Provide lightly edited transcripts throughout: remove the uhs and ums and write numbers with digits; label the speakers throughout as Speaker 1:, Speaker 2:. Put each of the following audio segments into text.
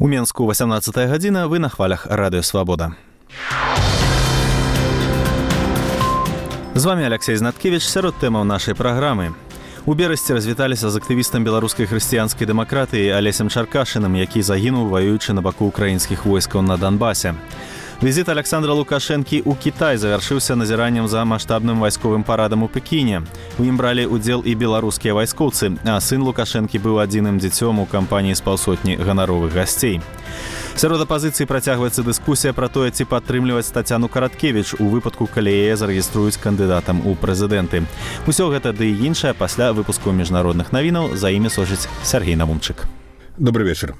Speaker 1: У Менску 18 гадзіна, вы на хвалях Радыё Свабода. З вами Алексей Знаткевич, сярод тэмаў нашай праграмы. У Берасці развіталіся з актывістам беларускай хрысціянскай дэмакратыі Алесем Чаркашыным, які загінуў, ваюючы на баку украінскіх войскаў на Донбасе. Візіт Александра Лукашэнкі ў Кітай завяршыўся назіраннем за маштабным вайсковым парадам у Пекіне. У ім бралі ўдзел і беларускія вайскоўцы, а сын Лукашэнкі быў адзіным дзіцём у кампаніі з паўсотні ганаровых гасцей. Сярод апазіцыі працягваецца дыскусія пра тое, ці падтрымліваць Тацяну Караткевіч у выпадку, калі яе зарэгіструюць кандыдатам у прэзідэнты. Усё гэта ды і іншае пасля выпуску міжнародных навінаў. За імі сочыць Сергей Навумчык.
Speaker 2: Добрый вечер.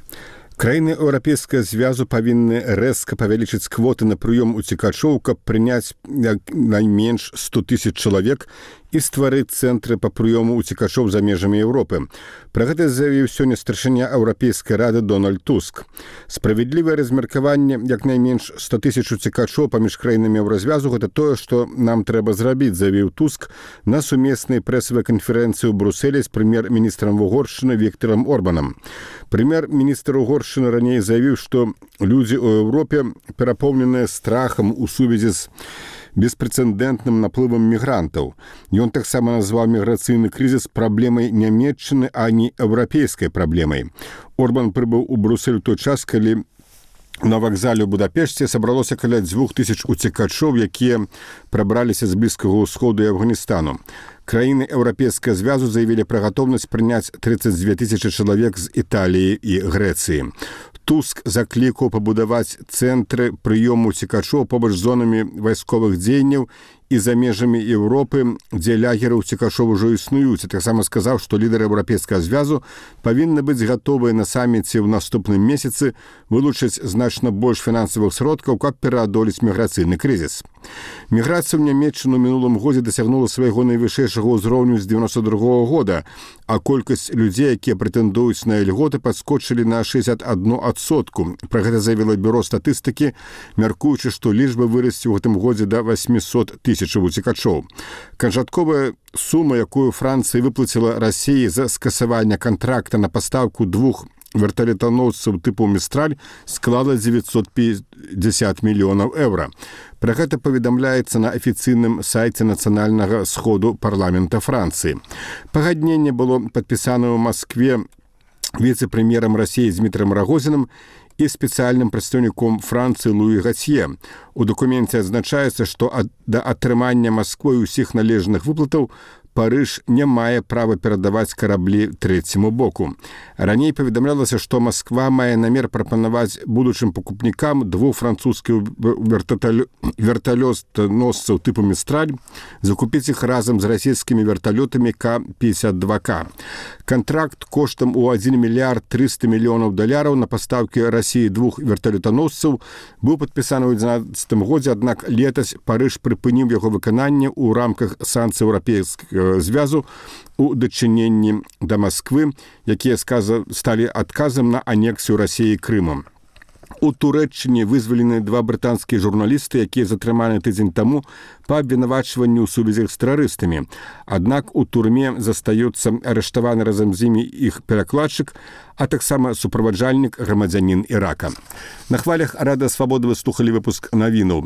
Speaker 2: Краіны Еўрапейскага звязу павінны рэзка павялічыць квоты на прыём уцекачоў, каб прыняць найменш 100 000 чалавек і стварыць цэнтры па прыёму уцекачоў за межамі Еўропы. Пра гэта заявіў сёння старшыня Еўрапейскай рады Дональд Туск. Справядлівае размеркаванне як найменш 100 000 уцекачоў паміж краінамі Еўразвязу — гэта тое, што нам трэба зрабіць, заявіў Туск на сумеснай прэсавай канферэнцыі ў Брусэлі з прэм'ер-міністрам Угоршчыны Віктарам Орбанам. Прэм'ер-міністр Угоршчыны раней заявіў, што людзі ў Еўропе перапоўненыя страхам у сувязі з беспрэцэдэнтным наплывам мігрантаў. Ён таксама назваў міграцыйны крызіс праблемай нямецчыны, а не еўрапейскай праблемай. Орбан прыбыў у Брусэль у той час, калі на вакзале ў Будапешце сабралося каля 2000 уцекачоў, якія прабраліся з Блізкага ўсходу і Афганістану. Краіны Еўрапейскага звязу заявілі пра гатоўнасць прыняць 32 000 чалавек з Італіі і Грэцыі. Туск заклікаў пабудаваць цэнтры прыёму уцекачоў побач з зонамі вайсковых дзеянняў і за межамі Еўропы, дзе лагеры уцекачоў ужо існуюць. Таксама сказаў, што лідары Еўрапейскага звязу павінны быць гатовыя на саміце ў наступным месяцы вылучыць значна больш фінансавых сродкаў, каб пераадолець міграцыйны крызіс. Міграцыя ў Нямецчыну ў мінулым годзе дасягнула свайго найвышэйшага ўзроўню з 92 года, а колькасць людзей, якія прэтэндуюць на ільготы, падскочылі на 61%. Пра гэта заявіла бюро статыстыкі, мяркуючы, што лічба вырасце ў гэтым годзе да 800 000 уцекачоў. Канчатковая сума, якую Францыя выплаціла Расіі за скасаванне кантракта на пастаўку 2 верталётаносцаў тыпу «Містраль», склала 950 мільёнаў еўра. Пра гэта паведамляецца на афіцыйным сайце нацыянальнага сходу парламента Францыі. Пагадненне было падпісана ў Маскве віцэ-прэм'ерам Расіі Дмітрам Рагозінам і спецыяльным прадстаўніком Францыі Луі Гацье. У дакуменце адзначаецца, што да атрымання Масквой усіх належных выплатаў Парыж не мае права перадаваць караблі трэцяму боку. Раней паведамлялася, што Масква мае намер прапанаваць будучым пакупнікам 2 французскіх верталётаносцаў тыпу «Містраль», закупіць іх разам з расійскімі верталётамі К-52К. Кантракт коштам у $1 мільярд 300 мільёнаў на пастаўкі Расіі 2 верталётаносцаў быў падпісаны ў 2011 годзе, аднак летась Парыж прыпыніў яго выкананне ў рамках санкцый Еўрапейскага звязу у дачыненні да Масквы, якія сталі адказам на анексію Расіі Крымам. У Турэччыне вызвалены 2 брытанскія журналісты, якія затрыманы тыдзень таму па абвінавачванні ў сувязях з тэрарыстамі. Аднак у турме застаецца арыштаваны разам з імі іх перакладчык, а таксама суправаджальнік грамадзянін Ірака. На хвалях Радыё Свабода вы слухалі выпуск навінаў.